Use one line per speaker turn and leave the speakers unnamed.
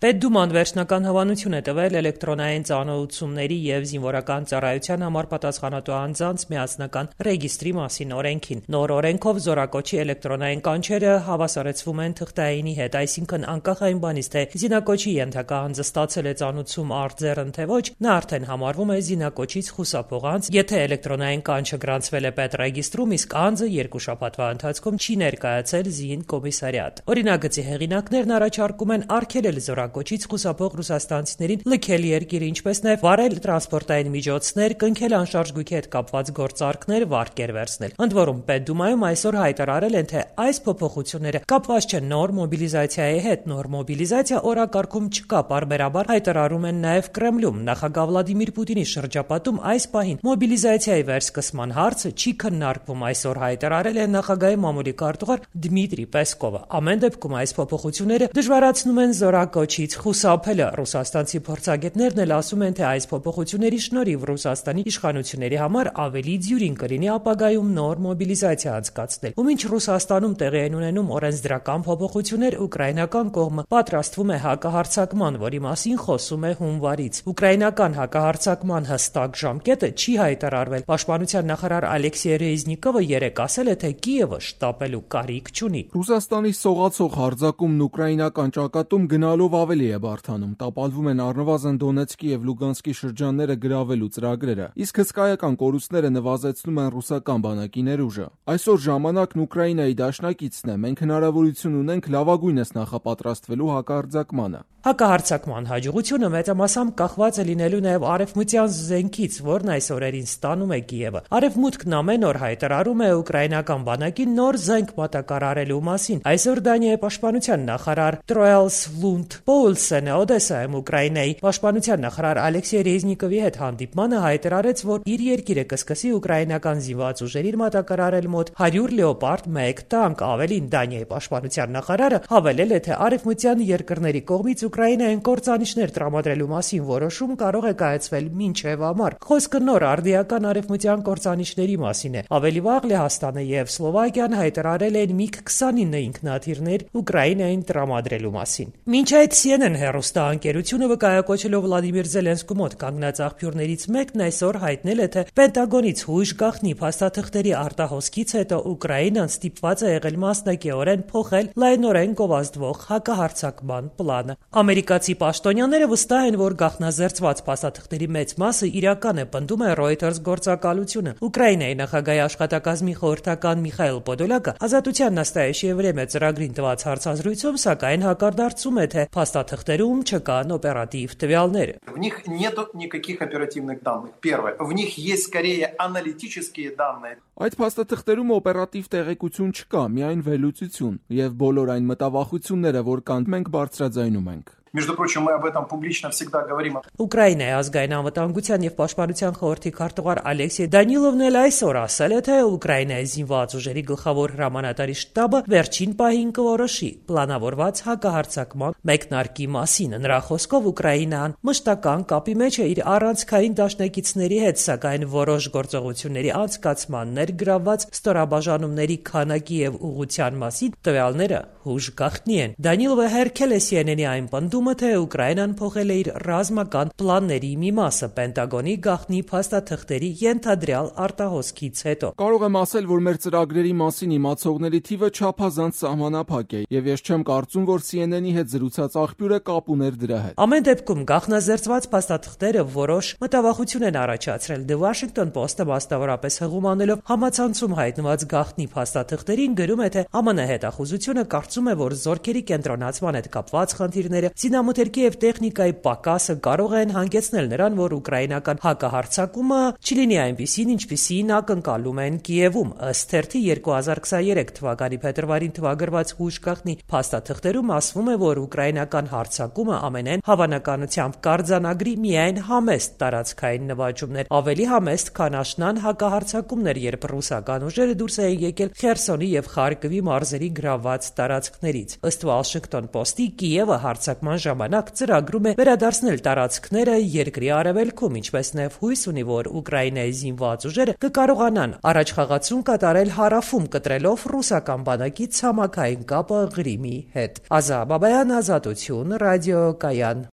Պետդուման վերջնական հավանություն է տվել էլեկտրոնային ծանոթությունների և զինվորական ծառայության համար պատասխանատու անձանց միասնական ռեգիստրի մասին օրենքին։ Նոր օրենքով զորակոչի էլեկտրոնային կանչերը հավասարեցվում են թղթայինի հետ, այսինքն անկախ այն բանից, թե զինակոչի ենթակա անձը ստացել է ծանոթություն արձեռն թե ոչ, նա արդեն համարվում է զինակոչից խուսափող անձ, եթե էլեկտրոնային կանչը գրանցվել է պետռեգիստրում, իսկ անձը 2 շաբաթվա ընթացքում չի ներկայացել ԶԻՆ կոմիսարիատ։ Օրինագծի հեղինակներն առաջարկում են արգելել զորակոչից խուսափող ռուսաստանցիներին լքել երկիրը, ինչպես նաև վարել տրանսպորտային միջոցներ, կնքել անշարժ գույքի հետ կապված գործարքներ, վարկեր վերցնել։ Ընդ որում, Պետդումայում այսօր հայտարարել են, թե այս փոփոխությունները կապված չեն նոր մոբիլիզացիայի հետ։ Նոր մոբիլիզացիա օրակարգում չկա, պարբերաբար հայտարարում են նաև Կրեմլում։ Նախագահ Վլադիմիր Պուտինի շրջապատում այս պահին մոբիլիզացիայի վերսկսման հարցը չի քննարկվում, այսօր հայտարարել է նախագահի մամուլի քարտուղար Դմիտրի Պեսկովը։ Ամեն դեպքում այս փոփոխությունները դժվարացնում են զորակոչից խուսափելը։ Ռուսաստանցի փորձագետներն էլ ասում են, թե այս փոփոխությունների շնորհիվ Ռուսաստանի իշխանությունների համար ավելի դյուրին կլինի ապագայում նոր մոբիլիզացիա անցկացնել։ Ու մինչ Ռուսաստանում տեղի են ունենում օրենսդրական փոփոխություններ, ուկրաինական կողմը պատրաստվում է հակահարձակման, որի մասին խոսում է հունվարից։ Ուկրաինական հակահարձակման հստակ ժամկետը չի հայտարարվել։ Պաշտպանության նախարար Ալեքսեյ Ռեզնիկովը երեկ ասել է, թե Կիևը շտապելու կարիք չունի։
Ռուսաստանի սողացող հարձակումն ուկրաինական ճակատում գնալով ավելի է բարդանում։ Տապալվում են առնվազն Դոնեցկի եւ Լուգանսկի շրջանները գրավելու ծրագրերը, իսկ հսկայական կորուստները նվազեցնում են ռուսական բանակի ներուժը։ Այսօր ժամանակն Ուկրաինայի դաշնակիցն է։ Մենք հնարավորություն ունենք լավագույնս նախապատրաստվելու հակահարձակմանը։
Հակահարձակման հաջողությունը մեծամասամբ կախված է լինելու նաև արևմտյան զենքից, որն այս օրերին ստանում է Կիևը։ Արևմուտքն ամեն օր հայտարարում է ուկրաինական բանակին նոր զենք մատակարարելու մասին։ Այսօր Դանիայի պաշտպանության նախարար Տրոյլս Լունդ Պոուլսենը Օդեսայում Ուկրաինայի պաշտպանության նախարար Ալեքսեյ Ռեզնիկովի հետ հանդիպմանը հայտարարեց, որ իր երկիրը կսկսի ուկրաինական զինված ուժերին մատակարարել մոտ 100 Լեոպարդ 1 տանկ։ Ավելին, Դանիայի պաշտպանության նախարարը հավելել է, թե արևմտյան երկրների կողմից Ուկրաինային կործանիչներ տրամադրելու մասին որոշում կարող է կայացվել մինչև ամառ։ Խոսքը նոր արդիական արևմտյան կործանիչների մասին է։ Ավելի վաղ Լեհաստանը եւ Սլովակիան հայտարարել են MiG-29 ինքնաթիռներ Ուկրաինային տրամադրելու մասին։ Մինչ այդ CNN հեռուստաընկերությունը վկայակոչելով Վլադիմիր Զելենսկու մոտ կանգնած աղբյուրներից մեկն այսօր հայտնել է, թե Պենտագոնից հույժ գաղտնի փաստաթղթերի արտահոսքից հետո Ուկրաինան ստիպված է եղել մասնակիորեն փոխել լայնորեն գովազդվող հակահարձակման պլանը։ Ամերիկացի պաշտոնյաները վստահ են, որ գաղտնազերծված փաստաթղթերի մեծ մասը իրական է, պնդում է Reuters գործակալությունը։ Ուկրաինայի նախագահի աշխատակազմի խորհրդական Միխայիլ Պոդոլյակը Ազատության настоящее время ծրագրին տված հարցազրույցում սակայն հակադարձում է, թե փաստաթղթերում չկան օպերատիվ տվյալներ։
В них нету никаких оперативных данных. Первое. В них есть скорее аналитические данные.
Այդ փաստաթղթերում օպերատիվ տեղեկություն չկա, միայն վերլուծություն, եւ բոլոր այն մտավախությունները, որ կան, մենք բարձրաձայնում ենք։
Между прочим, мы об этом публично всегда говорим.
Ուկրաինայի ազգային անվտանգության եւ պաշտպանության խորհրդի քարտուղար Ալեքսեյ Դանիլովն էլ այսօր ասել է, թե Ուկրաինայի զինված ուժերի գլխավոր հրամանատարի շտաբը վերջին պահին կորոշի պլանավորված հակահարձակման մեկնարկի մասին։ Նրա խոսքով Ուկրաինան մշտական կապի մեջ է իր առանցքային դաշնակիցների հետ, սակայն որոշ գործողությունների անցկացման ներգրավված ստորաբաժանումների քանակի եւ ուղղության մասին տվյալները հուժ գաղտնի են։ Դանիլովը հերքել է CNN-ի այն պնդումը, թե Ուկրաինան փոխել է իր ռազմական պլանների մի մասը Պենտագոնի գաղտնի փաստաթղթերի ենթադրյալ արտահոսքից հետո։
Կարող եմ ասել, որ մեր ծրագրերի մասին իմացողների թիվը չափազանց սահմանափակ է, եւ ես չեմ կարծում, որ CNN-ի հետ զրուցած աղբյուրը կապ ուներ դրա հետ։
Ամեն դեպքում գաղտնազերծված փաստաթղթերը որոշ մտավախություն են առաջացրել։ The Washington Post-ը մասնավորապես հղում անելով համացանցում հայտնված գաղտնի փաստաթղթերին գրում է, թե ԱՄՆ հետախուզությունը կարծում է, որ զորքերի կենտրոնացման հետ կապված խնդիրները, զինամթերքի եւ տեխնիկայի պակասը կարող են հանգեցնել նրան, որ ուկրաինական հակահարձակումը չլինի այնպիսին, ինչպիսին ակնկալում են Կիևում։ Ըստ թերթի 2023 թվականի փետրվարին թվագրված հուժ գաղտնի փաստաթղթերում ասվում է, որ ուկրաինական հարձակումը ամենայն հավանականությամբ կարձանագրի միայն համեստ տարածքային նվաճումներ, ավելի համեստ, քան աշնան հակահարձակումներ, երբ ռուսական ուժերը դուրս էին եկել Խերսոնի եւ Խարկովի մարզերի գրավված տարածքներից։ Ըստ Washington Post-ի Կիևը հարձակման միաժամանակ ծրագրում է վերադարձնել տարածքները երկրի արևելքում, ինչպես նաև հույս ունի, որ Ուկրաինայի զինված ուժերը կկարողանան առաջխաղացում կատարել հարավում, կտրելով ռուսական բանակի ցամաքային կապը Ղրիմի հետ։ Ազա Բաբայան, Ազատություն, ռադիոկայան։